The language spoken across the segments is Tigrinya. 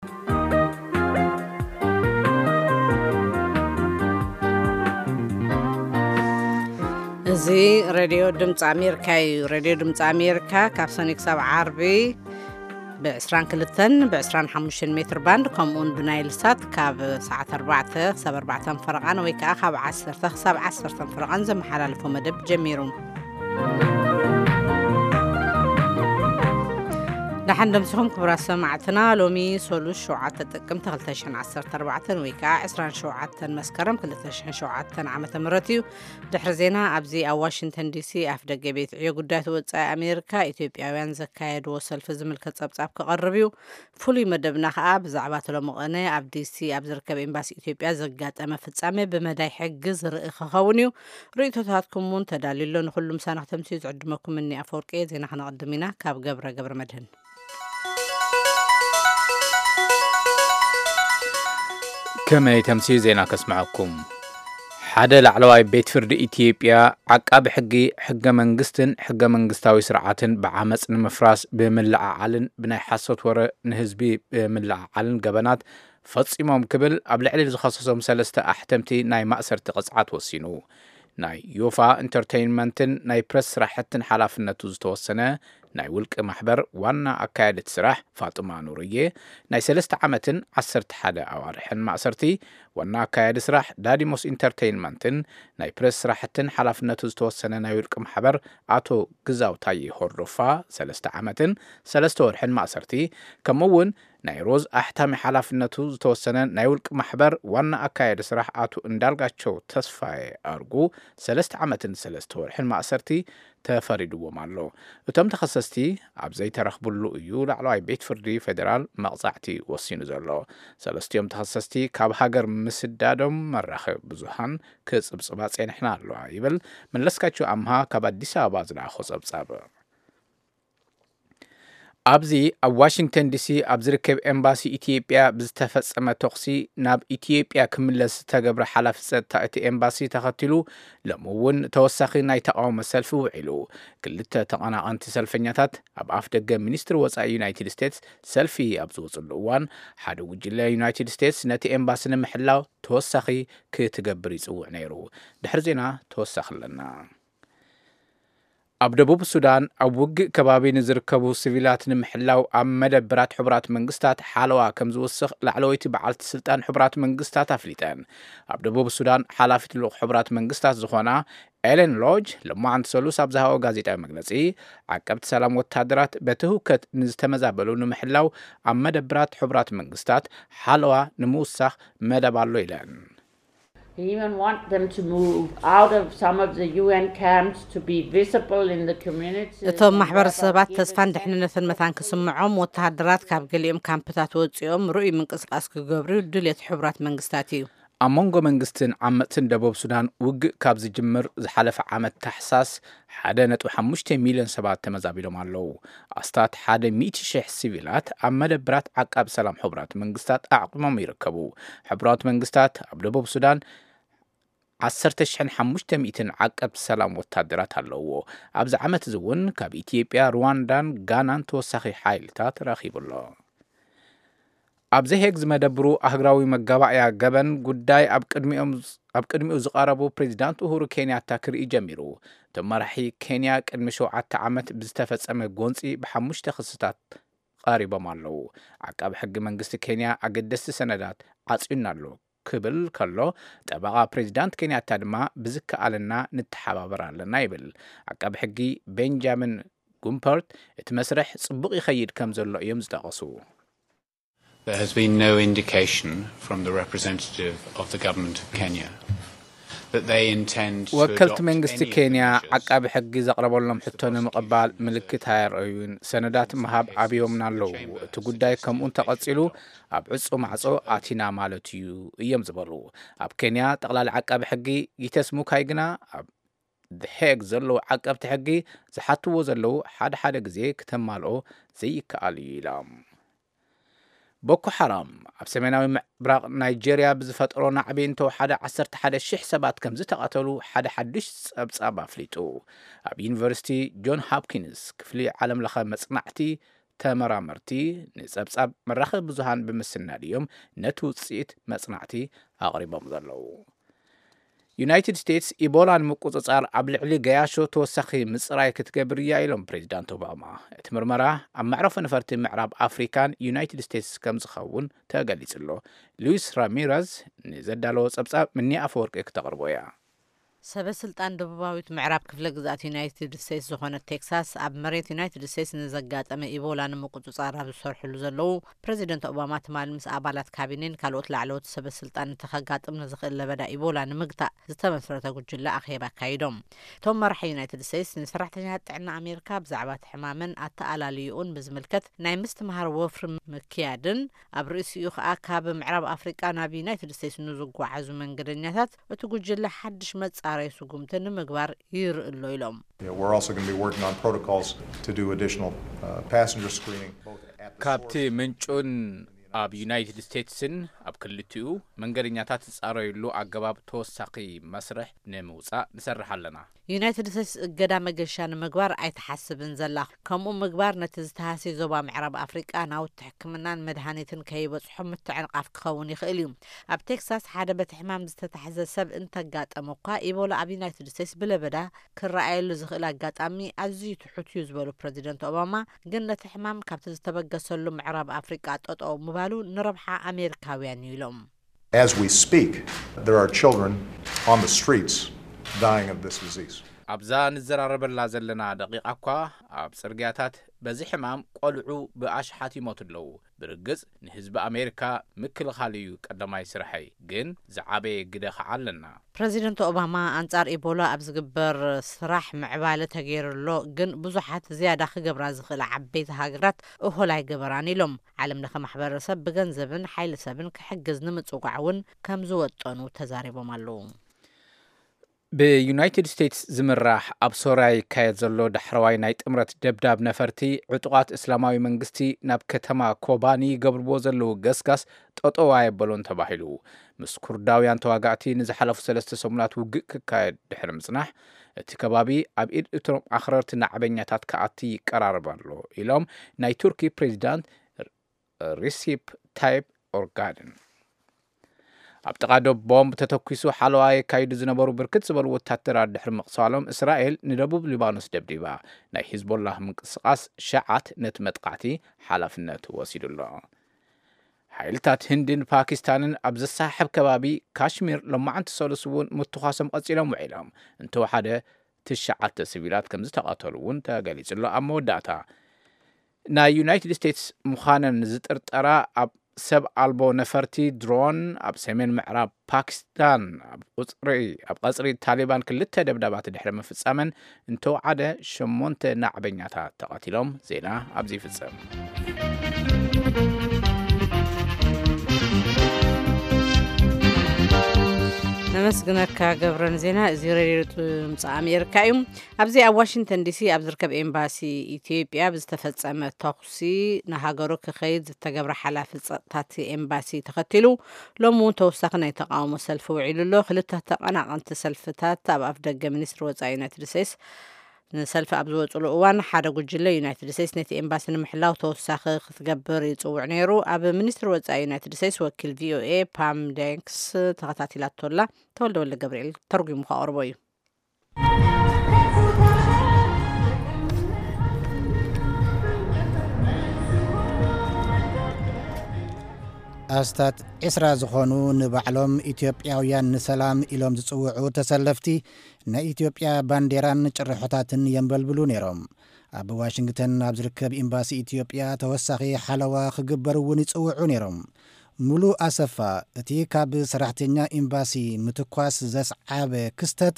እዚ ሬድዮ ድምፂ ኣሜሪካ እዩ። ሬድዮ ድምፂ ኣሜሪካ ካብ ሰኒ ክሳብ ዓርቢ ብ22 ብ25 ሜትር ባንድ፣ ከምኡውን ብናይል ሳት ካብ ሰዓት ኣርባዕተ ክሳብ ኣርባዕተ ፈረቓን ወይ ከዓ ካብ ዓሰርተ ክሳብ ዓሰርተ ፈረቓን ዘመሓላልፎ መደብ ጀሚሩ። ደሓን ደምስኹም ክቡራት ሰማዕትና። ሎሚ ሶሉስ ሸውዓተ ጥቅምቲ ክልተ ሽሕን ዓሰርተ ኣርባዕተን ወይ ከዓ ዕስራን ሸውዓተን መስከረም ክልተ ሽሕን ሸውዓተን ዓመተ ምህረት እዩ። ድሕሪ ዜና ኣብዚ ኣብ ዋሽንግተን ዲሲ ኣፍ ደገ ቤት ዕዮ ጉዳያት ወጻኢ ኣሜሪካ ኢትዮጵያውያን ዘካየድዎ ሰልፊ ዝምልከት ጸብጻብ ክቐርብ እዩ። ፍሉይ መደብና ከዓ ብዛዕባ እቲ ሎሚ ቅነ ኣብ ዲሲ ኣብ ዝርከብ ኤምባሲ ኢትዮጵያ ዘጋጠመ ፍጻሜ ብመዳይ ሕጊ ዝርኢ ክኸውን እዩ። ርእይቶታትኩም እውን ተዳልዩ ኣሎ። ንኹሉ ምሳና ክተምስዩ ዝዕድመኩም እኒ ኣፈወርቂ እየ። ዜና ክነቕድም ኢና። ካብ ገብረ ገብረ መድህን። ከመይ ተምስዩ ዜና ከስምዐኩም። ሓደ ላዕለዋይ ቤት ፍርዲ ኢትዮጵያ ዓቃቢ ሕጊ ሕገ መንግስትን ሕገ መንግስታዊ ስርዓትን ብዓመፅ ንምፍራስ ብምልዕዓልን ብናይ ሓሶት ወረ ንህዝቢ ብምልዕዓልን ገበናት ፈጺሞም ክብል ኣብ ልዕሊ ዝኸሰሶም ሰለስተ ኣሕተምቲ ናይ ማእሰርቲ ቅጽዓት ወሲኑ። ናይ ዮፋ ኢንተርቴይንመንትን ናይ ፕረስ ስራሕትን ሓላፍነቱ ዝተወሰነ ናይ ውልቂ ማሕበር ዋና ኣካያዲት ስራሕ ፋጡማ ኑርዬ ናይ ሰለስተ ዓመትን ዓሰርተ ሓደ ኣዋርሕን ማእሰርቲ፣ ዋና ኣካያዲ ስራሕ ዳዲሞስ ኢንተርቴይንመንትን ናይ ፕረስ ስራሕትን ሓላፍነቱ ዝተወሰነ ናይ ውልቂ ማሕበር ኣቶ ግዛው ታዬ ሆርዶፋ ሰለስተ ዓመትን ሰለስተ ወርሕን ማእሰርቲ፣ ከምኡ እውን ናይ ሮዝ ኣሕታሚ ሓላፍነቱ ዝተወሰነ ናይ ውልቂ ማሕበር ዋና ኣካያዲ ስራሕ ኣቶ እንዳልጋቸው ተስፋዬ ኣርጉ ሰለስተ ዓመትን ሰለስተ ወርሕን ማእሰርቲ ተፈሪድዎም ኣሎ። እቶም ተኸሰስቲ ኣብ ዘይተረኽብሉ እዩ ላዕለዋይ ቤት ፍርዲ ፌዴራል መቕጻዕቲ ወሲኑ ዘሎ። ሰለስቲኦም ተኸሰስቲ ካብ ሃገር ምስዳዶም መራኸቢ ብዙሃን ክጽብጽባ ጸኒሕና ኣለዋ ይብል መለስካቸው ኣምሃ ካብ ኣዲስ ኣበባ ዝለኣኾ ጸብጻብ። ኣብዚ ኣብ ዋሽንግተን ዲሲ ኣብ ዝርከብ ኤምባሲ ኢትዮጵያ ብዝተፈጸመ ተኹሲ ናብ ኢትዮጵያ ክምለስ ዝተገብረ ሓላፊ ጸጥታ እቲ ኤምባሲ ተኸቲሉ ሎሚ እውን ተወሳኺ ናይ ተቓውሞ ሰልፊ ውዒሉ። ክልተ ተቐናቐንቲ ሰልፈኛታት ኣብ ኣፍ ደገ ሚኒስትሪ ወጻኢ ዩናይትድ ስቴትስ ሰልፊ ኣብ ዝወፅሉ እዋን ሓደ ጉጅለ ዩናይትድ ስቴትስ ነቲ ኤምባሲ ንምሕላው ተወሳኺ ክትገብር ይጽውዕ ነይሩ። ድሕሪ ዜና ተወሳኺ ኣለና። ኣብ ደቡብ ሱዳን ኣብ ውግእ ከባቢ ንዝርከቡ ሲቪላት ንምሕላው ኣብ መደብራት ሕቡራት መንግስታት ሓለዋ ከም ዝውስኽ ላዕለወይቲ በዓልቲ ስልጣን ሕቡራት መንግስታት ኣፍሊጠን። ኣብ ደቡብ ሱዳን ሓላፊት ልኡኽ ሕቡራት መንግስታት ዝኾና ኤለን ሎጅ ሎማዓንቲ ሰሉስ ኣብ ዝሃቦ ጋዜጣዊ መግለጺ፣ ዓቀብቲ ሰላም ወታደራት በቲ ህውከት ንዝተመዛበሉ ንምሕላው ኣብ መደብራት ሕቡራት መንግስታት ሓለዋ ንምውሳኽ መደብ ኣሎ ኢለን። We even want them to move out of some of the U N camps to be visible in the community. እቶም ማሕበረሰባት ተስፋን ድሕንነትን መታን ክስምዖም፣ ወተሃደራት ካብ ገሊኦም ካምፕታት ወፂኦም ርኡይ ምንቅስቃስ ክገብሩ ድልየት ሕቡራት መንግስታት እዩ። ኣብ መንጎ መንግስትን ዓመፅትን ደቡብ ሱዳን ውግእ ካብ ዝጅምር ዝሓለፈ ዓመት ታሕሳስ ሓደ ነጥቢ ሓሙሽተ ሚልዮን ሰባት ተመዛቢሎም ኣለዉ። ኣስታት ሓደ ሚእቲ ሽሕ ሲቪላት ኣብ መደብራት ዓቃቢ ሰላም ሕቡራት መንግስታት ኣዕቂሞም ይርከቡ። ሕቡራት መንግስታት ኣብ ደቡብ ሱዳን ዓሰርተ ሽሕን ሓሙሽተ ሚእትን ዓቀብቲ ሰላም ወታደራት ኣለውዎ። ኣብዚ ዓመት እዚ እውን ካብ ኢትዮጵያ፣ ሩዋንዳን ጋናን ተወሳኺ ሓይልታት ረኺቡ ኣሎ። ኣብ ዘሄግ ዝመደብሩ ኣህግራዊ መጋባእያ ገበን ጉዳይ ኣብ ቅድሚኦም ኣብ ቅድሚኡ ዝቐረቡ ፕሬዚዳንት ኡሁሩ ኬንያታ ክርኢ ጀሚሩ። እቶም መራሒ ኬንያ ቅድሚ ሸውዓተ ዓመት ብዝተፈጸመ ጎንጺ ብሓሙሽተ ክስታት ቀሪቦም ኣለዉ። ዓቃቢ ሕጊ መንግስቲ ኬንያ ኣገደስቲ ሰነዳት ዓጽዩና ኣሎ ክብል ከሎ፣ ጠበቓ ፕሬዚዳንት ኬንያታ ድማ ብዝከኣለና ንተሓባበር ኣለና ይብል። ዓቃቢ ሕጊ ቤንጃሚን ጉምፐርት እቲ መስርሕ ጽቡቕ ይኸይድ ከም ዘሎ እዮም ዝጠቐሱ። There has been no indication from the representative of the government of Kenya that they intend to ወከልቲ adopt መንግስቲ any of the ኬንያ measures ዓቃቢ ሕጊ ዘቕረበሎም ሕቶ ንምቕባል ምልክት ኣየርአዩን። ሰነዳት ምሃብ ኣብዮምና ኣለዉ። እቲ ጉዳይ ከምኡ እንተቐጺሉ ኣብ ዕጹ ማዕጾ ኣቲና ማለት እዩ እዮም ዝበሉ። ኣብ ኬንያ ጠቕላሊ ዓቃቢ ሕጊ ጊተስ ሙካይ ግና ኣብ ሄግ ዘለዉ ዓቀብቲ ሕጊ ዝሓትዎ ዘለዉ ሓደ ሓደ ግዜ ክተማልኦ ዘይከኣል እዩ ኢሎም። ቦኮ ሓራም ኣብ ሰሜናዊ ምብራቕ ናይጄርያ ብዝፈጠሮ ናዕቢ እንተወሓደ ዓሰርተ ሓደ ሽሕ ሰባት ከም ዝተቐተሉ ሓደ ሓዱሽ ጸብጻብ ኣፍሊጡ። ኣብ ዩኒቨርሲቲ ጆን ሆፕኪንስ ክፍሊ ዓለምለኸ መጽናዕቲ ተመራመርቲ ንጸብጻብ መራኸቢ ብዙሃን ብምስናድ እዮም ነቲ ውጽኢት መጽናዕቲ ኣቕሪቦም ዘለዉ። ዩናይትድ ስቴትስ ኢቦላ ንምቁጽጻር ኣብ ልዕሊ ገያሾ ተወሳኺ ምጽራይ ክትገብር እያ ኢሎም ፕሬዚዳንት ኦባማ። እቲ ምርመራ ኣብ መዕረፎ ነፈርቲ ምዕራብ ኣፍሪካን ዩናይትድ ስቴትስ ከም ዝኸውን ተገሊጹ ኣሎ። ሉዊስ ራሚረዝ ንዘዳለዎ ጸብጻብ ምኒ ኣፈወርቂ ክተቕርቦ እያ። ሰበ ስልጣን ደቡባዊት ምዕራብ ክፍለ ግዝኣት ዩናይትድ ስቴትስ ዝኾነት ቴክሳስ ኣብ መሬት ዩናይትድ ስቴትስ ንዘጋጠመ ኢቦላ ንምቁጽጻር ኣብ ዝሰርሕሉ ዘለዉ ፕሬዚደንት ኦባማ ትማሊ ምስ ኣባላት ካቢኔን ካልኦት ላዕለዎት ሰበ ስልጣን እቲ ከጋጥም ንዝኽእል ለበዳ ኢቦላ ንምግታእ ዝተመስረተ ጉጅለ ኣኼባ ኣካይዶም። እቶም መራሒ ዩናይትድ ስቴትስ ንሰራሕተኛታት ጥዕና ኣሜሪካ ብዛዕባ እቲ ሕማምን ኣተኣላልይኡን ብዝምልከት ናይ ምስትምሃር ወፍሪ ምክያድን ኣብ ርእሲኡ ከኣ ካብ ምዕራብ ኣፍሪቃ ናብ ዩናይትድ ስቴትስ ንዝጓዓዙ መንገደኛታት እቲ ጉጅለ ሓድሽ መጻረይ ስጉምቲ ንምግባር ይርኢ ኣሎ ኢሎም። Yeah, we're also going to be working on protocols to do additional uh, passenger screening, both at the ካብቲ source. ምንጩን ኣብ ዩናይትድ ስቴትስን ኣብ ክልቲኡ መንገደኛታት ዝጻረዩሉ ኣገባብ ተወሳኺ መስርሕ ንምውጻእ ንሰርሕ ኣለና። ዩናይትድ ስቴትስ እገዳ መገሻ ንምግባር ኣይትሓስብን ዘላ። ከምኡ ምግባር ነቲ ዝተሃስየ ዞባ ምዕራብ ኣፍሪቃ ናውቲ ሕክምናን መድሃኒትን ከይበጽሖ ምትዕንቓፍ ክኸውን ይኽእል እዩ። ኣብ ቴክሳስ ሓደ በቲ ሕማም ዝተታሕዘ ሰብ እንተጋጠመ እኳ ኢቦላ ኣብ ዩናይትድ ስቴትስ ብለበዳ ክረኣየሉ ዝኽእል ኣጋጣሚ ኣዝዩ ትሑት እዩ ዝበሉ ፕረዚደንት ኦባማ፣ ግን ነቲ ሕማም ካብቲ ዝተበገሰሉ ምዕራብ ኣፍሪቃ ጠጠው ምባሉ ንረብሓ ኣሜሪካውያን እዩ ኢሎም። As we speak, there are children on the streets dying of this disease. ኣብዛ ንዘራረበላ ዘለና ደቂቓ እኳ ኣብ ጽርግያታት በዚ ሕማም ቆልዑ ብኣሽሓት ይሞቱ ኣለዉ። ብርግጽ ንህዝቢ ኣሜሪካ ምክልኻል እዩ ቀዳማይ ስርሐይ፣ ግን ዝዓበየ ግደ ኸዓ ኣለና። ፕረዚደንት ኦባማ ኣንጻር ኢቦላ ኣብ ዝግበር ስራሕ ምዕባለ ተገይሩ ኣሎ፣ ግን ብዙሓት ዝያዳ ክገብራ ዝኽእላ ዓበይቲ ሃገራት እኹል ኣይገበራን ኢሎም። ዓለም ለኸ ማሕበረሰብ ብገንዘብን ሓይሊ ሰብን ክሕግዝ ንምጽዋዕ እውን ከም ዝወጠኑ ተዛሪቦም ኣለዉ። ብዩናይትድ ስቴትስ ዝምራሕ ኣብ ሶርያ ይካየድ ዘሎ ዳሕረዋይ ናይ ጥምረት ደብዳብ ነፈርቲ ዕጡቓት እስላማዊ መንግስቲ ናብ ከተማ ኮባኒ ይገብርዎ ዘለዉ ገስጋስ ጠጠው ኣየበሎን ተባሂሉ። ምስ ኩርዳውያን ተዋጋእቲ ንዝሓለፉ ሰለስተ ሰሙናት ውግእ ክካየድ ድሕሪ ምጽናሕ እቲ ከባቢ ኣብ ኢድ እቶም ኣኽረርቲ ናዕበኛታት ክኣቲ ይቀራረብ ኣሎ ኢሎም ናይ ቱርኪ ፕሬዚዳንት ሪሲፕ ታይፕ ኦርጋድን። ኣብ ጥቓ ዶብ ቦምብ ተተኲሱ ሓለዋ የካይዱ ዝነበሩ ብርክት ዝበሉ ወታደራት ድሕሪ ምቕሳሎም እስራኤል ንደቡብ ሊባኖስ ደብዲባ። ናይ ሂዝቦላህ ምንቅስቓስ ሸዓት ነቲ መጥቃዕቲ ሓላፍነት ወሲዱ ኣሎ። ሓይልታት ህንድን ፓኪስታንን ኣብ ዘሰሓሕብ ከባቢ ካሽሚር ሎማዓንቲ ሰሉስ እውን ምትኳሶም ቀጺሎም ውዒሎም። እንተወሓደ ትሽዓተ ሲቪላት ከም ዝተቐተሉ እውን ተገሊጹ ኣሎ። ኣብ መወዳእታ ናይ ዩናይትድ ስቴትስ ምዃነን ዝጥርጠራ ኣብ ሰብ ኣልቦ ነፈርቲ ድሮን ኣብ ሰሜን ምዕራብ ፓኪስታን ኣብ ቁጽሪ ኣብ ቀጽሪ ታሊባን ክልተ ደብዳባት ድሕሪ ምፍጻመን እንተወዓደ ሸሞንተ ናዕበኛታት ተቐቲሎም። ዜና ኣብዚ ይፍጸም። ነመስግነካ ገብረን ዜና። እዚ ሬድዮ ድምፂ ኣሜሪካ እዩ። ኣብዚ ኣብ ዋሽንግተን ዲሲ ኣብ ዝርከብ ኤምባሲ ኢትዮጵያ ብዝተፈጸመ ተኹሲ ንሃገሩ ክኸይድ ዝተገብረ ሓላፊ ጸጥታ እቲ ኤምባሲ ተኸቲሉ ሎሚ እውን ተወሳኺ ናይ ተቃውሞ ሰልፊ ውዒሉ ኣሎ። ክልተ ተቐናቐንቲ ሰልፍታት ኣብ ኣፍ ደገ ሚኒስትሪ ወጻኢ ዩናይትድ ስቴትስ ንሰልፊ ኣብ ዝወፅሉ እዋን ሓደ ጉጅለ ዩናይትድ ስቴትስ ነቲ ኤምባሲ ንምሕላው ተወሳኺ ክትገብር ይፅውዕ ነይሩ። ኣብ ሚኒስትሪ ወፃኢ ዩናይትድ ስቴትስ ወኪል ቪኦኤ ፓም ዳንክስ ተኸታቲላቶላ። ተወልደ ወልደ ገብርኤል ተርጉሙ ከቕርቦ እዩ። ኣስታት ዕስራ ዝኾኑ ንባዕሎም ኢትዮጵያውያን ንሰላም ኢሎም ዝጽውዑ ተሰለፍቲ ናይ ኢትዮጵያ ባንዴራን ጭርሖታትን የንበልብሉ ነይሮም። ኣብ ዋሽንግተን ኣብ ዝርከብ ኤምባሲ ኢትዮጵያ ተወሳኺ ሓለዋ ክግበር እውን ይጽውዑ ነይሮም። ሙሉ ኣሰፋ እቲ ካብ ሰራሕተኛ ኤምባሲ ምትኳስ ዘስዓበ ክስተት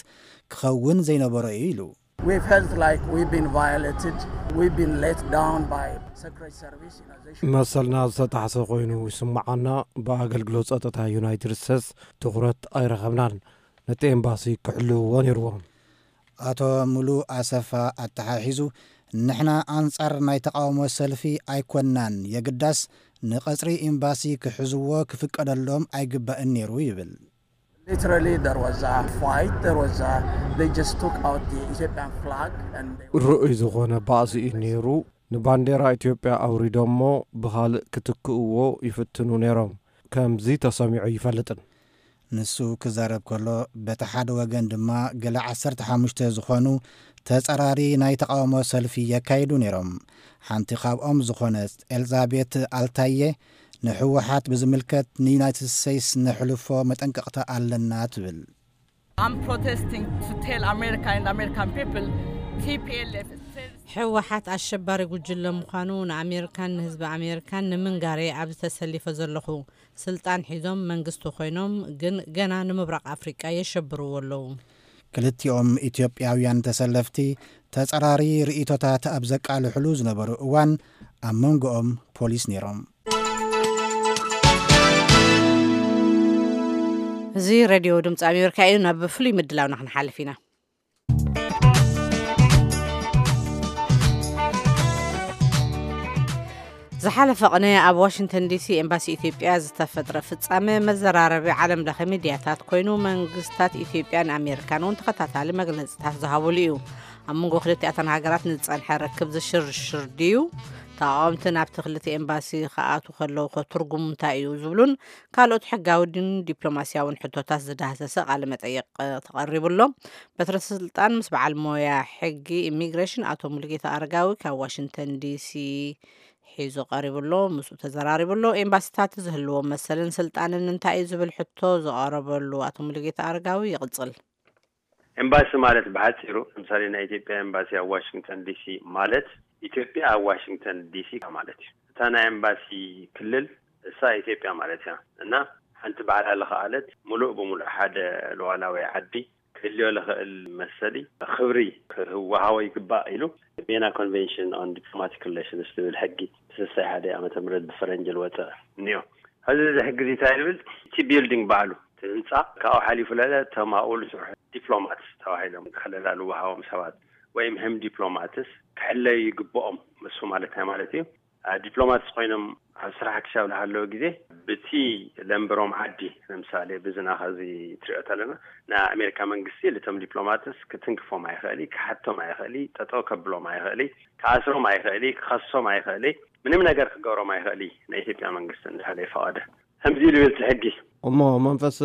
ክኸውን ዘይነበሮ እዩ ኢሉ። We felt like we've been violated, we've been let down by Secret Service. You know, they should መሰልና ዝተጣሕሰ ኮይኑ ይስምዓና። ብኣገልግሎት ጸጥታ ዩናይትድ ስቴትስ ትኹረት ኣይረኸብናን። ነቲ ኤምባሲ ክሕልውዎ ነይርዎም። ኣቶ ሙሉ ኣሰፋ ኣተሓሒዙ፣ ንሕና ኣንጻር ናይ ተቓውሞ ሰልፊ ኣይኮንናን፣ የግዳስ ንቐጽሪ ኤምባሲ ክሕዝዎ ክፍቀደሎም ኣይግባእን ነይሩ ይብል። Literally, there was a fight. There was a, they just took out the Ethiopian flag and they were ርኡይ ዝኾነ ባእሲ እዩ ነይሩ። ንባንዴራ ኢትዮጵያ ኣውሪዶሞ ብኻልእ ክትክእዎ ይፍትኑ ነይሮም። ከምዚ ተሰሚዑ ይፈልጥን። ንሱ ክዛረብ ከሎ፣ በቲ ሓደ ወገን ድማ ገለ ዓሰርተ ሓሙሽተ ዝኾኑ ተጸራሪ ናይ ተቓውሞ ሰልፊ የካይዱ ነይሮም። ሓንቲ ካብኦም ዝኾነት ኤልዛቤት ኣልታየ፣ ንህወሓት ብዝምልከት ንዩናይትድ ስቴትስ ነሕልፎ መጠንቀቕታ ኣለና ትብል። I'm protesting to tell America and American people T P L F is terrorist. ህወሓት ኣሸባሪ ጉጅለ ምዃኑ ንኣሜሪካን ንህዝቢ ኣሜሪካን ንምንጋሬ ኣብዚ ተሰሊፈ ዘለኹ። ስልጣን ሒዞም መንግስቲ ኮይኖም ግን ገና ንምብራቕ ኣፍሪቃ የሸብርዎ ኣለዉ። ክልቲኦም ኢትዮጵያውያን ተሰለፍቲ ተጸራሪ ርእይቶታት ኣብ ዘቃልሕሉ ዝነበሩ እዋን ኣብ መንጎኦም ፖሊስ ነይሮም። እዚ ሬድዮ ድምፂ ኣሜሪካ እዩ። ናብ ፍሉይ ምድላውና ክንሓልፍ ኢና። ዝሓለፈ ቅነ ኣብ ዋሽንግተን ዲሲ ኤምባሲ ኢትዮጵያ ዝተፈጥረ ፍጻመ መዘራረቢ ዓለም ለኸ ሚድያታት ኮይኑ መንግስታት ኢትዮጵያን ኣሜሪካን እውን ተኸታታሊ መግለጽታት ዝሃብሉ እዩ። ኣብ መንጎ ክልቲኣተን ሃገራት ንዝጸንሐ ርክብ ዝሽርሽር ድዩ? ተቓወምቲ ናብቲ ክልተ ኤምባሲ ክኣቱ ከለዉ ከ ትርጉሙ እንታይ እዩ ዝብሉን ካልኦት ሕጋዊ ድን ዲፕሎማስያውን ሕቶታት ዝዳህሰሰ ቃለ መጠይቕ ተቐሪቡ ኣሎ። በትረ ስልጣን ምስ በዓል ሞያ ሕጊ ኢሚግሬሽን ኣቶ ሙሉጌታ ኣረጋዊ ካብ ዋሽንግተን ዲሲ ሒዙ ቀሪቡ ኣሎ። ምስኡ ተዘራሪቡ ኣሎ። ኤምባሲታት ዝህልዎም መሰልን ስልጣንን እንታይ እዩ ዝብል ሕቶ ዝቐረበሉ ኣቶ ሙሉጌታ ኣረጋዊ ይቕጽል። ኤምባሲ ማለት ብሓፂሩ፣ ለምሳሌ ናይ ኢትዮጵያ ኤምባሲ ኣብ ዋሽንግተን ዲሲ ማለት ኢትዮጵያ ኣብ ዋሽንግተን ዲሲ ማለት እዩ። እታ ናይ ኤምባሲ ክልል እሳ ኢትዮጵያ ማለት እያ። እና ሓንቲ ባዕላ ለኸኣለት ሙሉእ ብሙሉእ ሓደ ሉዓላዊ ዓዲ ክህልዮ ለኽእል መሰሊ ክብሪ ክወሃቦ ይግባእ ኢሉ ቬና ኮንቬንሽን ኦን ዲፕሎማቲክ ሪሌሽንስ ዝብል ሕጊ ስሳይ ሓደ ዓመተ ምህረት ብፈረንጂ ዝወፀ እኒኦ። ሕዚ እዚ ሕጊ እዚ እንታይ ይብል? እቲ ቢልዲንግ ባዕሉ፣ እቲ ህንፃ ካብኡ ሓሊፉ ለለ እቶም ኣብኡ ዝሰርሑ ዲፕሎማትስ ተባሂሎም ክሕለላሉ ወሃቦም ሰባት ወይም ህም ዲፕሎማትስ ክሕለዩ ይግብኦም። እሱ ማለት እንታይ ማለት እዩ? ዲፕሎማትስ ኮይኖም ኣብ ስራሕ ክሻብ ዝሃለወ ግዜ ብቲ ለንበሮም ዓዲ፣ ለምሳሌ ብዝና ከዚ ትሪኦ ተለና ናይ ኣሜሪካ መንግስቲ ልቶም ዲፕሎማትስ ክትንክፎም ኣይኽእሊ፣ ክሓቶም ኣይኽእሊ፣ ጠጠው ከብሎም ኣይኽእሊ፣ ክኣስሮም ኣይኽእሊ፣ ክኸሶም ኣይኽእሊ፣ ምንም ነገር ክገብሮም ኣይኽእሊ። ናይ ኢትዮጵያ መንግስቲ እንድሕር ዘይፈቐደ ከምዚ ኢሉ ይብል እቲ ሕጊ። እሞ መንፈስ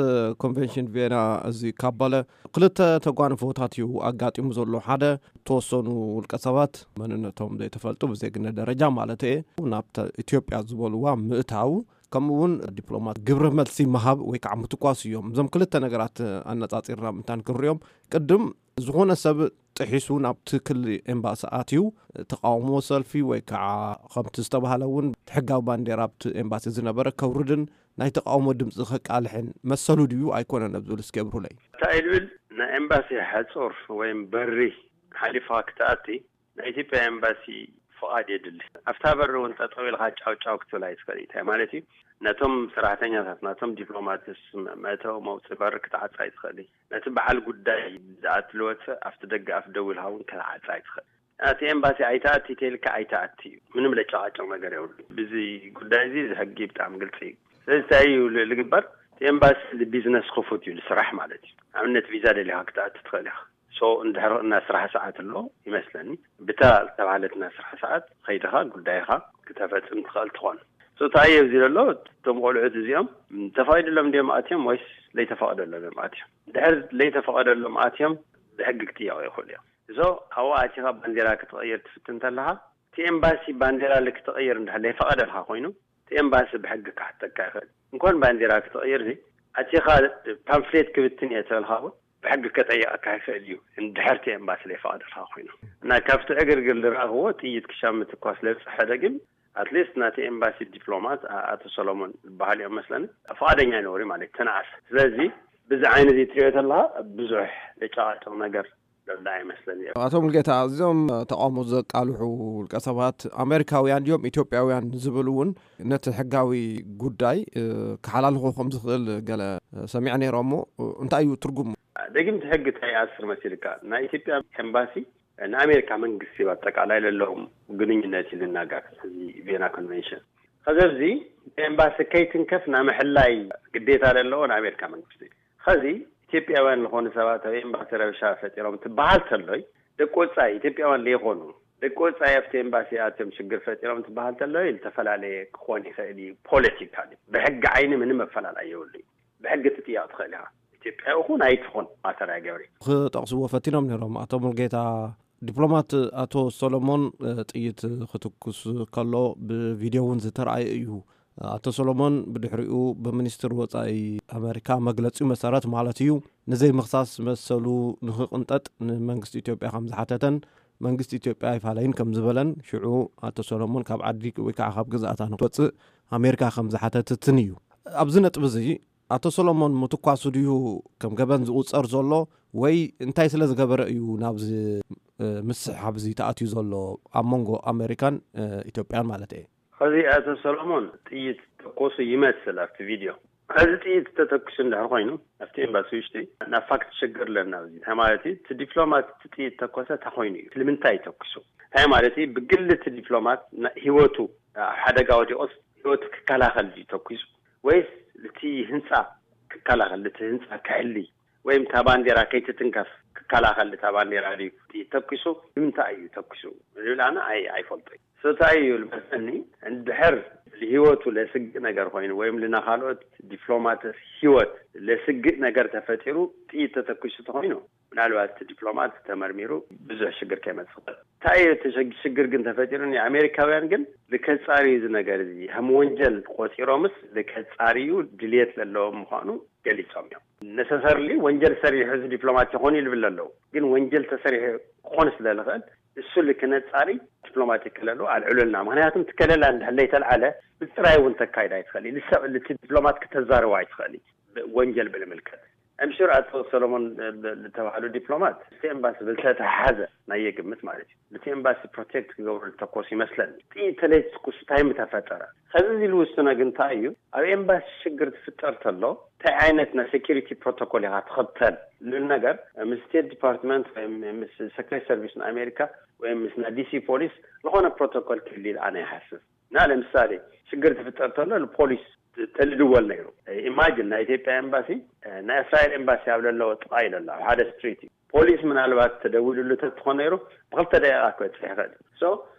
ኮንቨንሽን ቬና እዚ ካባለ ክልተ ተጓንፎታት እዩ ኣጋጢሙ ዘሎ። ሓደ፣ ተወሰኑ ውልቀ ሰባት መንነቶም ዘይተፈልጡ ብዜግነት ደረጃ ማለት እየ ናብ ኢትዮጵያ ዝበልዋ ምእታው፣ ከምኡ እውን ዲፕሎማት ግብረ መልሲ ምሃብ ወይ ከዓ ምትኳስ እዮም። እዞም ክልተ ነገራት ኣነፃፂርና ምንታን ክንሪኦም፣ ቅድም ዝኾነ ሰብ ጥሒሱ ናብቲ ክሊ ኤምባሲ ኣትዩ ተቃውሞ ሰልፊ ወይ ከዓ ከምቲ ዝተባህለ እውን ሕጋዊ ባንዴራ ኣብቲ ኤምባሲ ዝነበረ ከውርድን ናይ ተቃውሞ ድምፂ ከቃልሕን መሰሉ ድዩ ኣይኮነን ኣብ ዝብል እስኪ ኣብርሁለይ። እንታይ ልብል ናይ ኤምባሲ ሕፁር ወይም በሪ ሓሊፍኻ ክትኣቲ ናይ ኢትዮጵያ ኤምባሲ ፍቓድ የድሊ። ኣብታ በሪ እውን ጠጠው ኢልካ ጫው ጫው ክትብል ኣይትኽእል። እንታይ ማለት እዩ? ነቶም ሰራሕተኛታት ናቶም ዲፕሎማትስ መእተዊ መውፅኢ በሪ ክትዓፃ ኣይትኽእል። ነቲ በዓል ጉዳይ ዝኣትልወት ኣብቲ ደገ ኣፍ ደው ኢልካ እውን ክትዓፃ ኣይትኽእል። እቲ ኤምባሲ ኣይተኣቲ ተልካ ኣይተኣቲ እዩ። ምንም ለጨቃጨቅ ነገር የብሉ። ብዚ ጉዳይ እዚ እዚ ሕጊ ብጣዕሚ ግልፂ እዩ። ስለዚ እንታይ እዩ ዝግበር? እቲ ኤምባሲ ቢዝነስ ክፉት እዩ ዝስራሕ ማለት እዩ። ኣብነት ቪዛ ደሊኻ ክትኣቲ ትኽእል ኢኻ። ሶ እንድሕር እና ስራሕ ሰዓት ኣሎ ይመስለኒ ብታ ዝተባህለት እና ስራሕ ሰዓት ከይድኻ ጉዳይኻ ክተፈፅም ትኽእል ትኾን። ሶ እንታይ ኣብዚ ዘሎ እቶም ቆልዑት እዚኦም ተፈቒድሎም እንዲዮም ኣትዮም ወይስ ለይተፈቐደሎም እዮም ኣትዮም? ድሕር ለይተፈቐደሎም ኣትዮም ብሕጊ ክጥየቑ ይኽእሉ እዮም። እዞ ኣብኡ ኣቲኻ ባንዴራ ክትቐይር ትፍትን እንተለኻ እቲ ኤምባሲ ባንዴራ ክትቕይር እንድሕር ለይፈቐደልካ ኮይኑ እቲ ኤምባሲ ብሕጊ ክሓተካ ይኽእል። እንኳን ባንዴራ ክትቕይር እዚ ኣቲኻ ፓምፍሌት ክብትን እየ ተበልካ እውን ብሕጊ ከጠየቐካ ይኽእል እዩ። እንድሕር እቲ ኤምባሲ ለይፈቐደልካ ኮይኑ እና ካብቲ ዕግርግር ዝረኣኽዎ ጥይት ክሻ ምትኳስ ለብፅሐ ግን ኣትሊስት ናቲ ኤምባሲ ዲፕሎማት ኣቶ ሰሎሞን ዝበሃል እዮም መስለኒ ፍቓደኛ ይነበሩ ማለት ተነኣሰ። ስለዚ ብዚ ዓይነ እዚ ትሪኦ ተለካ ብዙሕ ለጨቃጨቕ ነገር ዘሎ ኣይመስለኒ። ኣቶ ሙልጌታ፣ እዚኦም ተቃውሞ ዘቃልሑ ውልቀ ሰባት ኣሜሪካውያን ድዮም ኢትዮጵያውያን ዝብል እውን ነቲ ሕጋዊ ጉዳይ ክሓላልኾ ከም ዝኽእል ገለ ሰሚዐ ነይረ። እሞ እንታይ እዩ ትርጉሙ? ደጊም እቲ ሕጊ እንታይ ይኣስር መሲልካ? ናይ ኢትዮጵያ ኤምባሲ ንኣሜሪካ መንግስቲ ብኣጠቃላይ ለለዎም ግንኙነት እዩ ዝናገር እዚ ቬና ኮንቨንሽን። ከዚ ኣብዚ ኤምባሲ ከይትንከፍ ናይ ምሕላይ ግዴታ ዘለዎ ንኣሜሪካ መንግስቲ እዩ። ከዚ ኢትዮጵያውያን ዝኾኑ ሰባት ኣብ ኤምባሲ ረብሻ ፈጢሮም ትበሃል ተሎይ ደቂ ወፃኢ ኢትዮጵያውያን ለይኾኑ ደቂ ወፃኢ ኣብቲ ኤምባሲ ኣትዮም ሽግር ፈጢሮም ትበሃል ተሎ፣ ዝተፈላለየ ክኾን ይኽእል እዩ። ፖለቲካሊ ብሕጊ ዓይኒ ምንም ኣፈላላይ የብሉ እዩ። ብሕጊ ትጥየቕ ትኽእል ኢኻ፣ ኢትዮጵያዊ ኹን ኣይትኹን ማተር ኣይገብር። ክጠቕስዎ ፈቲኖም ነይሮም ኣቶ ሙልጌታ። ዲፕሎማት ኣቶ ሰሎሞን ጥይት ክትኩስ ከሎ ብቪድዮ እውን ዝተረኣየ እዩ። ኣቶ ሰሎሞን ብድሕሪኡ ብሚኒስትር ወፃኢ ኣመሪካ መግለፂኡ መሰረት ማለት እዩ፣ ንዘይምኽሳስ መሰሉ ንክቕንጠጥ ንመንግስቲ ኢትዮጵያ ከም ዝሓተተን መንግስቲ ኢትዮጵያ ኣይፋለይን ከም ዝበለን፣ ሽዑ ኣቶ ሰሎሞን ካብ ዓዲ ወይ ከዓ ካብ ግዝኣታ ንክወፅእ ኣሜሪካ ከም ዝሓተትትን እዩ። ኣብዚ ነጥቢ እዚ ኣቶ ሰሎሞን ምትኳሱ ድዩ ከም ገበን ዝቑፀር ዘሎ፣ ወይ እንታይ ስለ ዝገበረ እዩ ናብዚ ምስሕሓብ እዚ ተኣትዩ ዘሎ ኣብ መንጎ ኣሜሪካን ኢትዮጵያን ማለት እየ? ሕዚ ኣቶ ሰሎሞን ጥይት ተኮሱ ይመስል ኣብቲ ቪድዮ። ሕዚ ጥይት ተተኩሱ እንድሕር ኮይኑ ኣብቲ ኤምባሲ ውሽጢ ናብ ፋክት ሽግር ኣለና። ኣብዚ እንታይ ማለት እዩ? እቲ ዲፕሎማት እቲ ጥይት ተኮሰ እንታይ ኮይኑ እዩ? ስለምንታይ እዩ ተኩሱ? እንታይ ማለት እዩ? ብግሊ እቲ ዲፕሎማት ና- ህይወቱ ኣብ ሓደጋ ወዲቆስ ህይወቱ ክከላኸል ድዩ ተኩሱ? ወይስ እቲ ህንፃ ክከላኸል፣ እቲ ህንፃ ክሕሊ ወይም እታ ባንዴራ ከይትትንከፍ ክከላኸል እታ ባንዴራ ድዩ ተኩሱ? ንምንታይ እዩ ተኩሱ? ዝብል ኣነ ኣይ- ኣይፈልጦ እዩ። ስታይ እዩ ልመስለኒ። እንድሕር ህይወቱ ለስግእ ነገር ኮይኑ ወይም ልናኻልኦት ዲፕሎማት ህይወት ለስግእ ነገር ተፈጢሩ ጥይት ተተኩሱ ተኮይኑ ምናልባት እቲ ዲፕሎማት ተመርሚሩ ብዙሕ ሽግር ከይመፅእ ይኽእል። እንታይ እዩ እቲ ሽግ- ሽግር ግን ተፈጢሩ? ኣሜሪካውያን ግን ልከፃርዩ እዚ ነገር እዚ ከም ወንጀል ቆፂሮምስ ልከፃርዩ ድልየት ዘለዎም ምዃኑ ገሊፆም እዮም። ነሰሰርሊ ወንጀል ሰሪሑ እዚ ዲፕሎማት ይኾን እዩ ልብል ኣለዉ። ግን ወንጀል ተሰሪሑ ክኾን ስለ ዝኽእል እሱ ልክነፃሪ ዲፕሎማቲክ ከለሉ ኣልዕሉልና። ምክንያቱም እቲ ከለላ እንድሕር ለይተልዓለ ምፅራይ እውን ተካይድ ኣይትኽእል እዩ። ልሰብ ልቲ ዲፕሎማት ክተዛርቦ ኣይትኽእል እዩ። ብ- ወንጀል ብልምልከት እምሽር ኣቶ ሰሎሞን ብ- ዝተባህሉ ዲፕሎማት እቲ ኤምባሲ ብልተተሓዘ ናይ የግምት ማለት እዩ። እቲ ኤምባሲ ፕሮቴክት ክገብሩ ዝተኮስ ይመስለኒ። ጥይት ተለይትኩስ እንታይ ምተፈጠረ? ከዚ እዚ ልውስኖ ግን እንታይ እዩ? ኣብ ኤምባሲ ሽግር ትፍጠር ተሎ እንታይ ዓይነት ናይ ሴኪሪቲ ፕሮቶኮል ኢኻ ትኽተል? ልብል ነገር ምስ ስቴት ዲፓርትመንት ወይ ምስ ሰክሬት ሰርቪስ ንኣሜሪካ ወይ ምስ ናይ ዲሲ ፖሊስ ዝኾነ ፕሮቶኮል ክህልል ኣነ ይሓስብ። እና ለምሳሌ ሽግር ትፍጠር ተሎ ፖሊስ ተልድወል ነይሩ። ኢማጂን ናይ ኢትዮጵያ ኤምባሲ ናይ እስራኤል ኤምባሲ ኣብ ለለዎ ጥቓ ኢለ ኣሎ ኣብ ሓደ ስትሪት እዩ። ፖሊስ ምናልባት ተደዊሉሉ ተትኾን ነይሩ ብክልተ ደቂቃ ክበፅሕ ይኽእል። ሶ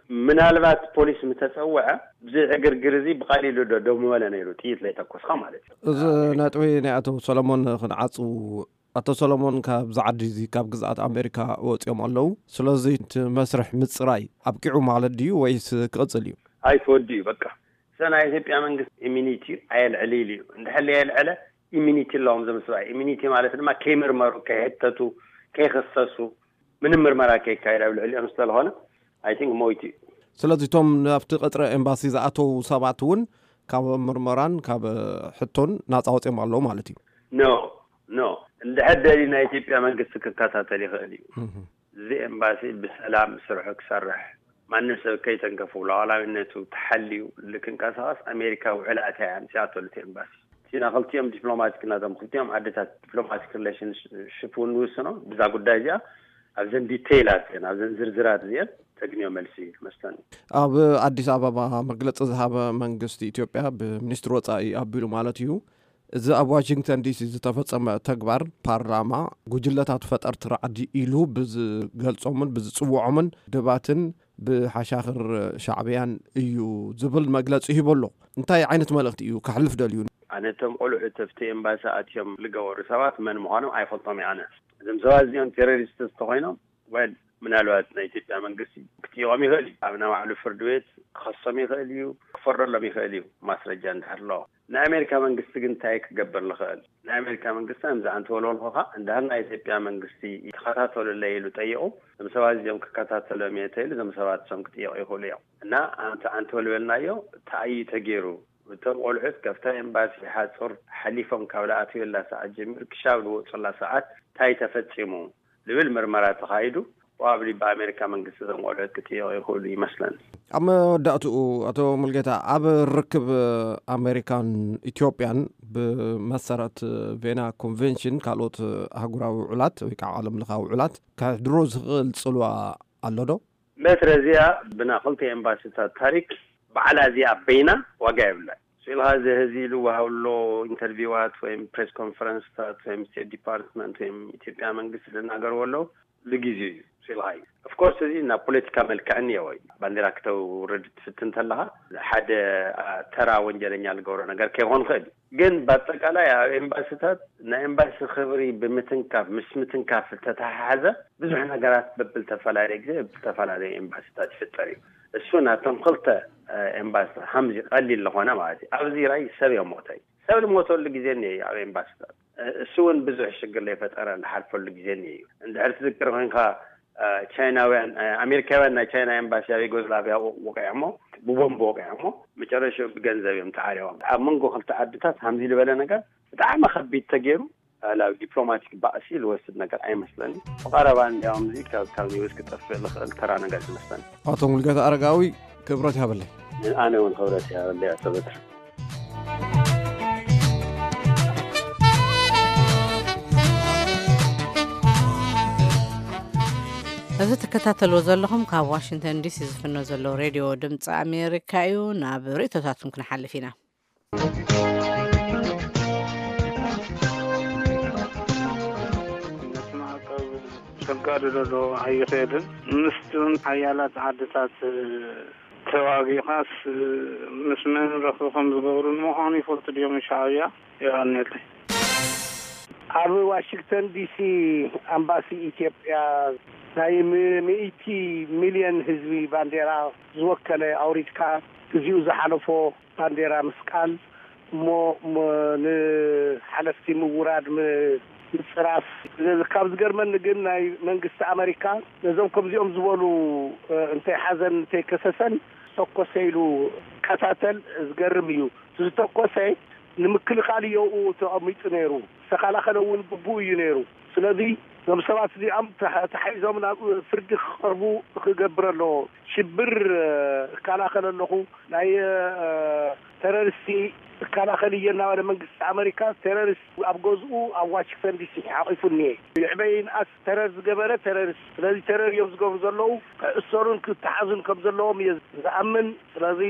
ምናልባት ፖሊስ ምተፀወዐ ብዘይ ዕግርግር እዚ ብቐሊሉ ዶ ደው ምበለ ነይሩ፣ ጥይት ለይተኮስካ ማለት እዩ። እዚ ነጥቢ ናይ ኣቶ ሰለሞን ክንዓፁ፣ ኣቶ ሰለሞን ካብዚ ዓዲ እዚ ካብ ግዝኣት ኣሜሪካ ወፂኦም ኣለዉ። ስለዚ እቲ መስርሕ ምፅራይ ኣብቂዑ ማለት ድዩ ወይስ ክቕፅል እዩ? ኣይትወዲ እዩ በቃ። እዛ ናይ ኢትዮጵያ መንግስቲ ኢሚኒቲ ኣየልዕል ኢሉ እዩ። እንድሕር የልዕለ ኢሚኒቲ ኣለዎም እዞም ሰብኣይ። ኢሚኒቲ ማለት ድማ ከይምርመሩ፣ ከይሕተቱ፣ ከይኸሰሱ፣ ምንም ምርመራ ከይካየድ ኣብ ልዕሊኦም ስለዝኾነ ኣይ ቲንክ ሞይቱ እዩ። ስለዚ እቶም ናብቲ ቀፅሪ ኤምባሲ ዝኣተዉ ሰባት እውን ካብ ምርመራን ካብ ሕቶን ናፃ ወፅኦም ኣለዉ ማለት እዩ? ኖ ኖ። እንድሕር ደልዩ ናይ ኢትዮጵያ መንግስቲ ክከታተል ይኽእል እዩ። እዚ ኤምባሲ ብሰላም ስርሑ ክሰርሕ፣ ማንም ሰብ ከይተንከፉ ሉዓላዊነቱ ተሓልዩ ልክንቀሳቐስ ኣሜሪካ ውዕል ኣትያ እያ ኣምፅኣቶ ልቲ ኤምባሲ። እቲ ናይ ክልቲኦም ዲፕሎማቲክ ናቶም ክልቲኦም ዓድታት ዲፕሎማቲክ ሪሌሽንሽፕ እውን ንውስኖ ብዛ ጉዳይ እዚኣ ኣብዘን ዲቴይላት እየን ኣብዘን ዝርዝራት እዚአን ተግንዮ መልሲ መስለኒ። ኣብ ኣዲስ ኣበባ መግለፂ ዝሃበ መንግስቲ ኢትዮጵያ ብሚኒስትሪ ወፃኢ ኣቢሉ ማለት እዩ፣ እዚ ኣብ ዋሽንግተን ዲሲ ዝተፈጸመ ተግባር ፓርላማ ጉጅለታት ፈጠርቲ ራዕዲ ኢሉ ብዝገልጾምን ብዝጽውዖምን ድባትን ብሓሻኽር ሻዕብያን እዩ ዝብል መግለጺ ሂቡ ኣሎ። እንታይ ዓይነት መልእኽቲ እዩ ከሕልፍ ደልዩ? ኣነ እቶም ቆልዑ ተፍቲ ኤምባሲ ኣትዮም ዝገበሩ ሰባት መን ምዃኖም ኣይፈልጦም እየ። ኣነ እዞም ሰባት እዚኦም ቴሮሪስት ተኮይኖም ወል ምናልባት ናይ ኢትዮጵያ መንግስቲ ክጥይቖም ይኽእል እዩ። ኣብ ናይ ባዕሉ ፍርዲ ቤት ክኸሶም ይኽእል እዩ፣ ክፈርደሎም ይኽእል እዩ፣ ማስረጃ እንድሕር ኣለዎ። ናይ ኣሜሪካ መንግስቲ ግን እንታይ ክገብር ንኽእል? ናይ ኣሜሪካ መንግስቲ ከምዚ ኣንቲ ወልወልኹኻ እንድሕር ናይ ኢትዮጵያ መንግስቲ ይተኸታተሉለይ ኢሉ ጠይቑ፣ እዞም ሰባት እዚኦም ክከታተሎም እየ ተኢሉ እዞም ሰባት እሶም ክጥየቑ ይኽእሉ እዮም። እና ኣንቲ ኣንቲ ወልበልናዮ እንታይ እዩ ተገይሩ? እቶም ቆልዑት ከፍታ ኤምባሲ ሓፁር ሓሊፎም ካብ ዝኣትውላ ሰዓት ጀሚሩ ክሻብ ዝወፁላ ሰዓት እንታይ ተፈፂሙ? ዝብል ምርመራ ተኻይዱ፣ ፕሮባብሊ ብኣሜሪካ መንግስቲ እዞም ቆልዑት ክጥየቑ ይኽእሉ ይመስለኒ። ኣብ መወዳእትኡ ኣቶ ሙልጌታ፣ ኣብ ርክብ ኣሜሪካን ኢትዮጵያን ብመሰረት ቬና ኮንቬንሽን ካልኦት ኣህጉራዊ ውዕላት ወይ ከዓ ዓለም ለኻዊ ውዕላት ከሕድሮ ዝኽእል ፅልዋ ኣሎ ዶ? መትረ እዚኣ ብና ክልተ ኤምባሲታት ታሪክ በዓላ እዚኣ በይና ዋጋ የብላን። ስኢልካ እዚ ህዚ ልወሃብሎ ኢንተርቪዋት ወይም ፕሬስ ኮንፈረንስታት ወይም ስቴት ዲፓርትመንት ወይም ኢትዮጵያ መንግስቲ ዝናገርዎ ኣለዉ ልግዜኡ እዩ። ሲልካ እዩ። ኦፍኮርስ፣ እዚ ናብ ፖለቲካ መልክዕ እኒአዎ እዩ። ባንዲራ ክተውርድ ትፍትን እንተለኻ ሓደ ተራ ወንጀለኛ ዝገብሮ ነገር ከይኾን ይኽእል እዩ። ግን ብኣጠቃላይ ኣብ ኤምባሲታት ናይ ኤምባሲ ክብሪ ብምትንካፍ፣ ምስ ምትንካፍ ዝተተሓሓዘ ብዙሕ ነገራት በብልተፈላለየ ግዜ በብልተፈላለየ ኤምባሲታት ይፍጠር እዩ። እሱ ናቶም ክልተ ኤምባሲታት ሃምዚ ቀሊል ዝኾነ ማለት እዩ። ኣብዚ ራይ ሰብ የሞተ እዩ። ሰብ ዝሞተሉ ግዜ እኒአ እዩ ኣብ ኤምባሲታት። እሱ እውን ብዙሕ ሽግር ለይፈጠረ ዝሓልፈሉ ግዜ እኒአ እዩ። እንድሕር ትዝክር ኮይንካ፣ ቻይናውያን ኣሜሪካውያን ናይ ቻይና ኤምባሲ ኣብ ዩጎዝላቪያ ወቂዖሞ፣ ብቦምብ ወቂዖሞ፣ መጨረሻ ብገንዘብ እዮም ተዓሪቦም። ኣብ መንጎ ክልተ ዓድታት ሃምዚ ዝበለ ነገር ብጣዕሚ ከቢድ ተገይሩ ናብ ዲፕሎማቲክ ባእሲ ዝወስድ ነገር ኣይመስለኒ። ብቐረባ እንዲያውም እዚ ካብ ካብ ኒውስ ክጠፍእ ዝኽእል ተራ ነገር ዝመስለኒ። ኣቶ ሙልጌታ ኣረጋዊ፣ ክብረት ይሃበለይ። ኣነ እውን ክብረት ይሃበለይ ኣቶ በትር። እዚ ትከታተልዎ ዘለኹም ካብ ዋሽንግተን ዲሲ ዝፍኖ ዘሎ ሬድዮ ድምፂ ኣሜሪካ እዩ። ናብ ርእቶታትኩም ክንሓልፍ ኢና። ነቲ ማዕቀብ ከጋድዶ ዶ ኣይኽእልን? ምስቲ ሓያላት ዓድታት ተዋጊኻስ ምስ መን ረኽቢ ከም ዝገብሩ ንምዃኑ ይፈልጡ ድዮም ሻዕብያ? የቐንየለይ። ኣብ ዋሽንግተን ዲሲ ኣምባሲ ኢትዮጵያ ናይ ሚእቲ ሚልዮን ህዝቢ ባንዴራ ዝወከለ ኣውሪድካ፣ ግዚኡ ዝሓለፎ ባንዴራ ምስቃል እሞ ንሓለፍቲ ምውራድ ምፅራፍ። ካብ ዝገርመኒ ግን ናይ መንግስቲ ኣመሪካ ነዞም ከምዚኦም ዝበሉ እንተይሓዘን እንተይከሰሰን ዝተኮሰ ኢሉ ከታተል ዝገርም እዩ። ዝተኮሰ ንምክልኻል እዮኡ ተቐሚጡ ነይሩ። ዝተኸላኸለ እውን ግቡእ እዩ ነይሩ። ስለዚ እዞም ሰባት እዚኦም ተሓ- ተሓይዞም ናብ ፍርዲ ክቐርቡ ክገብር ኣለዎ። ሽብር እከላኸል ኣለኹ፣ ናይ ተረሪስቲ እከላኸል እየ እናበለ መንግስቲ ኣመሪካ ተረሪስት ኣብ ገዝኡ ኣብ ዋሽንግተን ዲሲ ሓቂፉ እኒኤ። ይዕበይ ይንኣስ ተረር ዝገበረ ተረሪስት። ስለዚ ተረር እዮም ዝገብሩ ዘለዉ። ክእሰሩን ክተሓዙን ከም ዘለዎም እየ ዝኣምን። ስለዚ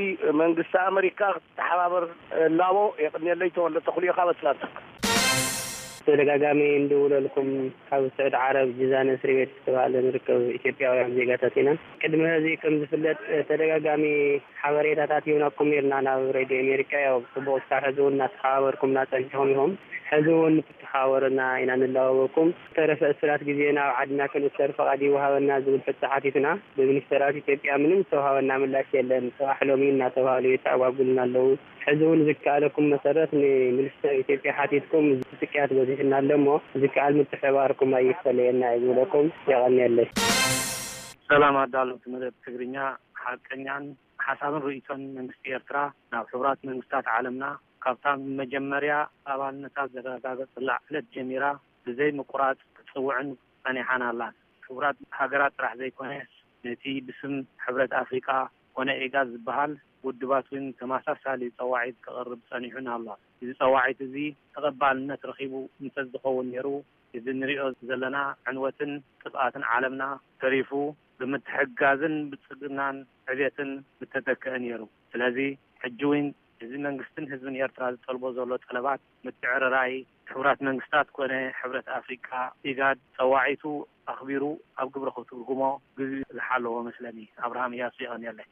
መንግስቲ ኣመሪካ ተሓባበር ላቦ የቕንየለይ። ተወልደ ተኽሉ ኢኻ በትላንታ። ተደጋጋሚ እንደውለልኩም ካብ ስዑድ ዓረብ ጅዛን እስሪ ቤት ዝተባህለ ንርከብ ኢትዮጵያውያን ዜጋታት ኢና። ቅድሚ ሕዚ ከም ዝፍለጥ ተደጋጋሚ ሓበሬታታት ሂብናኩም ነርና ናብ ሬድዮ ኣሜሪካ። ያው ጽቡቕ እስካብ ሕዚ እውን እናተሓባበርኩምና ጸኒሕኩም ኢኹም። ሕዚ እውን ክትተሓባበሩና ኢና ንላበወኩም። ዝተረፈ እስራት ግዜና ኣብ ዓድና ክንእሰር ፍቓድ ይወሃበና ዝብል ሕቶ ሓቲትና ብሚኒስተራት ኢትዮጵያ ምንም ዝተውሃበና ምላሽ የለን። ጽባሕ ሎሚ እናተባህሉ የተኣጓጉልና ኣለዉ። ሕዚ እውን ዝከኣለኩም መሰረት ንሚኒስተር ኢትዮጵያ ሓቲትኩም ስቅያት በዚሕና ኣሎ እሞ ዝከኣል ምትሕብባርኩም ኣይፈለየና እዩ ዝብለኩም። የቐንየለይ። ሰላም ኣዳለውቲ መደብ ትግርኛ፣ ሓቀኛን ሓሳብን ርእይቶን መንግስቲ ኤርትራ ናብ ሕቡራት መንግስታት ዓለምና ካብታ መጀመርያ ኣባልነታ ዘረጋገጸላ ዕለት ጀሚራ ብዘይ ምቁራጽ ክትጽውዕን ጸኒሓን ኣላ። ሕቡራት ሃገራት ጥራሕ ዘይኮነስ ነቲ ብስም ሕብረት ኣፍሪቃ ኮነ ኤጋድ ዝበሃል ውድባት እውን ተመሳሳሊ ጸዋዒት ከቕርብ ጸኒሑን ኣሎ። እዚ ጸዋዒት እዚ ተቐባልነት ረኺቡ እንተዝኸውን ነይሩ፣ እዚ ንሪኦ ዘለና ዕንወትን ጥፍኣትን ዓለምና ተሪፉ ብምትሕግጋዝን ብልጽግናን ዕብየትን ምተተክአ ነይሩ። ስለዚ ሕጂ እውን እዚ መንግስትን ህዝብን ኤርትራ ዝጠልቦ ዘሎ ጠለባት ምትዕርራይ ሕቡራት መንግስታት ኮነ ሕብረት ኣፍሪቃ ኢጋድ ጸዋዒቱ ኣኽቢሩ ኣብ ግብሪ ክትርጉሞ ግዜ ዝሓለዎ መስለኒ። ኣብርሃም እያሱ የቐንየለይ።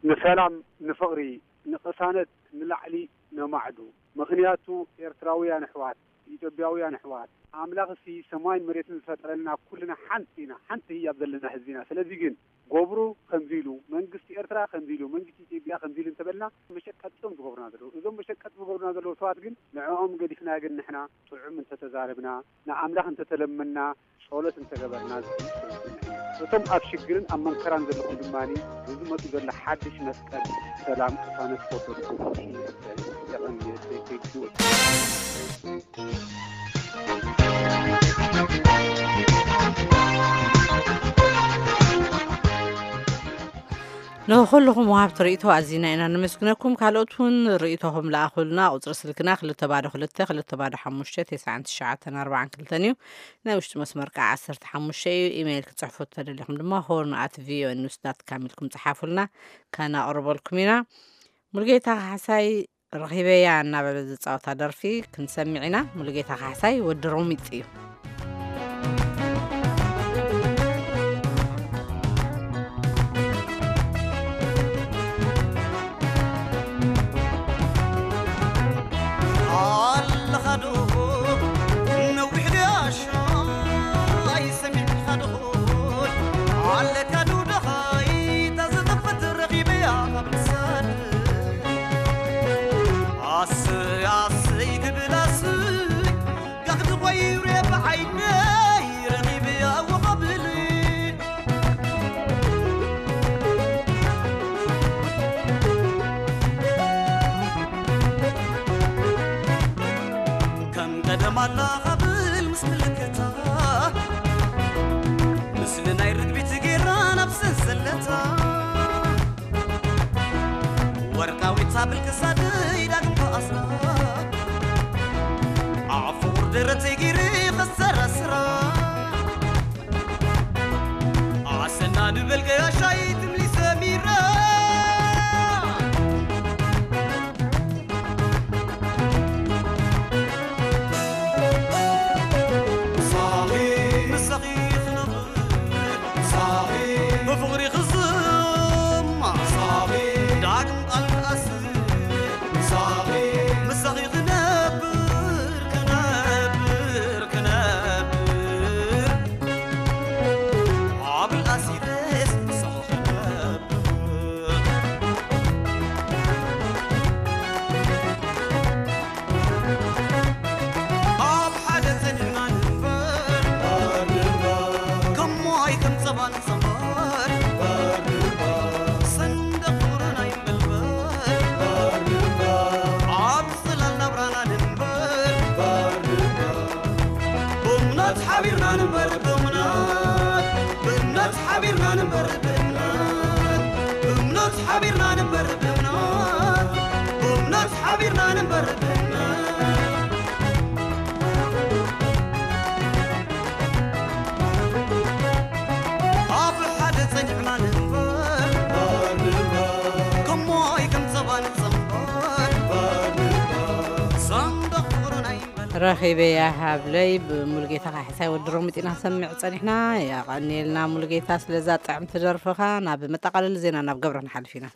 ንሰላም፣ ንፍቕሪ፣ ንቕሳነት ንላዕሊ ነማዕዱ። ምኽንያቱ ኤርትራውያን ኣሕዋት፣ ኢትዮጵያውያን ኣሕዋት፣ ኣምላኽሲ ሰማይን መሬትን ዝፈጠረልና ኩልና ሓንቲ ኢና፣ ሓንቲ ህያብ ዘለና ህዝቢ ኢና። ስለዚ ግን ገብሩ ከምዚ ኢሉ፣ መንግስቲ ኤርትራ ከምዚ ኢሉ፣ መንግስቲ ኢትዮጵያ ከምዚ ኢሉ እንተበልና መሸቀጢ እዮም ዝገብሩና ዘለዉ። እዞም መሸቀጢ ዝገብሩና ዘለዉ ሰባት ግን ንዕኦም ገዲፍና ግን ንሕና ጥዑም እንተተዛረብና፣ ንኣምላኽ እንተተለመና፣ ጸሎት እንተገበርና ዝብል ስምዒት እዩ። እቶም ኣብ ሽግርን ኣብ መንከራን ዘለኹም ድማ ንዝመጹ ዘሎ ሓድሽ መስቀል ሰላም ቅሳነት ክወርደልኩም ይምሕጸን። የቐንየለይ። Thank you። ንኹልኹም ወሃብቲ ርእይቶ ኣዚና ኢና ነመስግነኩም። ካልኦት እውን ርእይቶኹም ለኣኹልና። ቁጽሪ ስልክና ክልተ ባዶ ክልተ ክልተ ባዶ ሓሙሽተ ተስዓን ትሽዓተን ኣርባዓን ክልተን እዩ። ናይ ውሽጢ መስመር ከዓ ዓሰርተ ሓሙሽተ እዩ። ኢሜይል ክትጽሕፉ ተደሊኹም ድማ ሆርን ኣት ቪኦኤ ኒውስ ዳት ካም ኢልኩም ጽሓፉልና። ከነቕርበልኩም ኢና። ሙሉጌታ ካሕሳይ ረኺበያ እናበለ ዝጻወታ ደርፊ ክንሰምዕ ኢና። ሙሉጌታ ካሕሳይ ወዲ ሮሚጥ እዩ። ዶ ነዊሕ ድያሻ ኣይሰሚዕካ ዶ ኣለካ ዶ ደኻይ እታ ዝጠፈት ረኺበያ ካብ ልሳን ኣሰይ ኣሰይ ክብል ኣሰይ ጋኽቲ ቆይረ ብዓይነይ ረኺበያ ወቐብል ከም ቀደም ኣላ ኻብል ምስ ምልክታ ምስሊ ናይ ርግቢት ጌራ ናብ ሰንሰለታ ወርቃዊት ሃብል ክሳደይ ዳግም ተኣስራ ኣፍቑር ደረተይ ጌረ ኸሰራስራ ኣሰና ንበል ገያሻይ ትምሊ ሰሚራ ምሳኺ ምሳኺ ክነብር ምሳኺ ብፍቕሪ ክዝማ ምሳኺ ዳግም ቃል ክኣስር ምሳኺ ምሳኺ ክነብር ክነብር ክነብር ረኺበያ ሃብለይ ብሙሉጌታ ካሕሳይ ወዲ ሮሚጥ ኢና ሰምዕ ጸኒሕና። የቐንየልና ሙሉጌታ ስለዛ ጥዕምቲ ደርፍኻ። ናብ መጠቓለሊ ዜና ናብ ገብረ ንሓልፍ ኢና።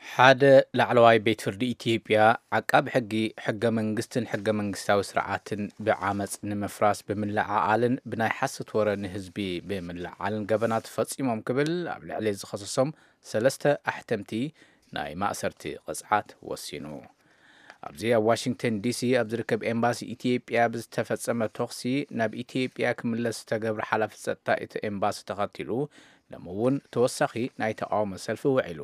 ሓደ ላዕለዋይ ቤት ፍርዲ ኢትዮጵያ ዓቃቢ ሕጊ ሕገ መንግስትን ሕገ መንግስታዊ ስርዓትን ብዓመፅ ንምፍራስ ብምልዓዓልን ብናይ ሓሰት ወረ ንህዝቢ ብምልዓዓልን ገበናት ፈፂሞም ክብል ኣብ ልዕሊ ዝኸሰሶም ሰለስተ ኣሕተምቲ ናይ ማእሰርቲ ቅፅዓት ወሲኑ። ኣብዚ ኣብ ዋሽንግተን ዲሲ ኣብ ዝርከብ ኤምባሲ ኢትዮጵያ ብዝተፈጸመ ተኹሲ ናብ ኢትዮጵያ ክምለስ ዝተገብረ ሓላፊ ጸጥታ እቲ ኤምባሲ ተኸቲሉ ሎሚ እውን ተወሳኺ ናይ ተቓውሞ ሰልፊ ውዒሉ።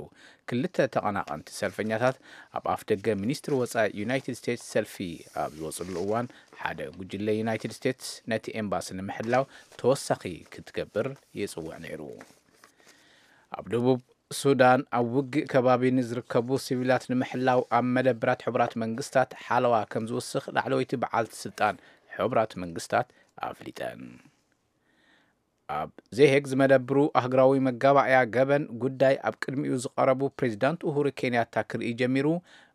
ክልተ ተቐናቐንቲ ሰልፈኛታት ኣብ ኣፍ ደገ ሚኒስትሪ ወጻኢ ዩናይትድ ስቴትስ ሰልፊ ኣብ ዝወጽሉ እዋን ሓደ ጉጅለ ዩናይትድ ስቴትስ ነቲ ኤምባሲ ንምሕላው ተወሳኺ ክትገብር ይጽውዕ ነይሩ። ኣብ ደቡብ ሱዳን ኣብ ውግእ ከባቢ ንዝርከቡ ሲቪላት ንምሕላው ኣብ መደብራት ሕቡራት መንግስታት ሓለዋ ከም ዝውስኽ ላዕለወይቲ በዓልቲ ስልጣን ሕቡራት መንግስታት ኣፍሊጠን። ኣብ ዜሄግ ዝመደብሩ ኣህግራዊ መጋባእያ ገበን ጉዳይ ኣብ ቅድሚኡ ዝቐረቡ ፕሬዚዳንት ኡሁሩ ኬንያታ ክርኢ ጀሚሩ።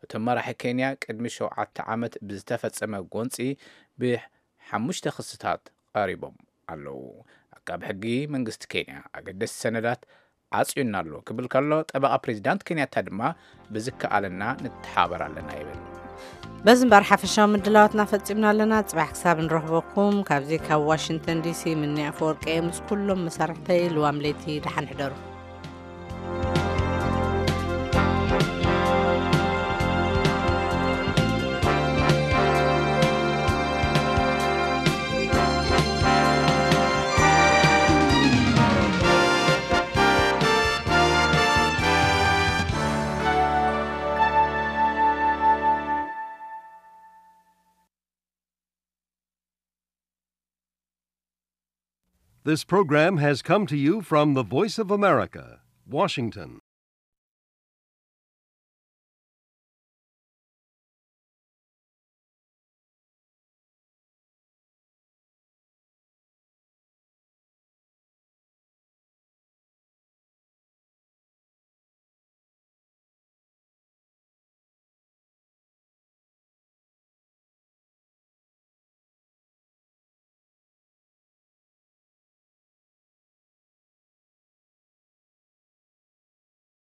እቶም መራሒ ኬንያ ቅድሚ ሸውዓተ ዓመት ብዝተፈጸመ ጎንጺ ብሓሙሽተ ክስታት ቀሪቦም ኣለዉ። ኣቃቢ ሕጊ መንግስቲ ኬንያ ኣገደስቲ ሰነዳት ዓጽዩና ኣሎ ክብል ከሎ፣ ጠበቓ ፕሬዚዳንት ኬንያታ ድማ ብዝከኣለና ንተሓባበር ኣለና ይብል። በዚ እምበር ሓፈሻዊ ምድላዋትና ፈጺምና ኣለና። ጽባሕ ክሳብ ንረኽበኩም ካብዚ ካብ ዋሽንግተን ዲሲ ምኒ ኣፈወርቂ እየ። ምስ ኩሎም መሳርሕተይ ልዋም ለይቲ ደሓን ሕደሩ። This program has come to you from the Voice of America, Washington.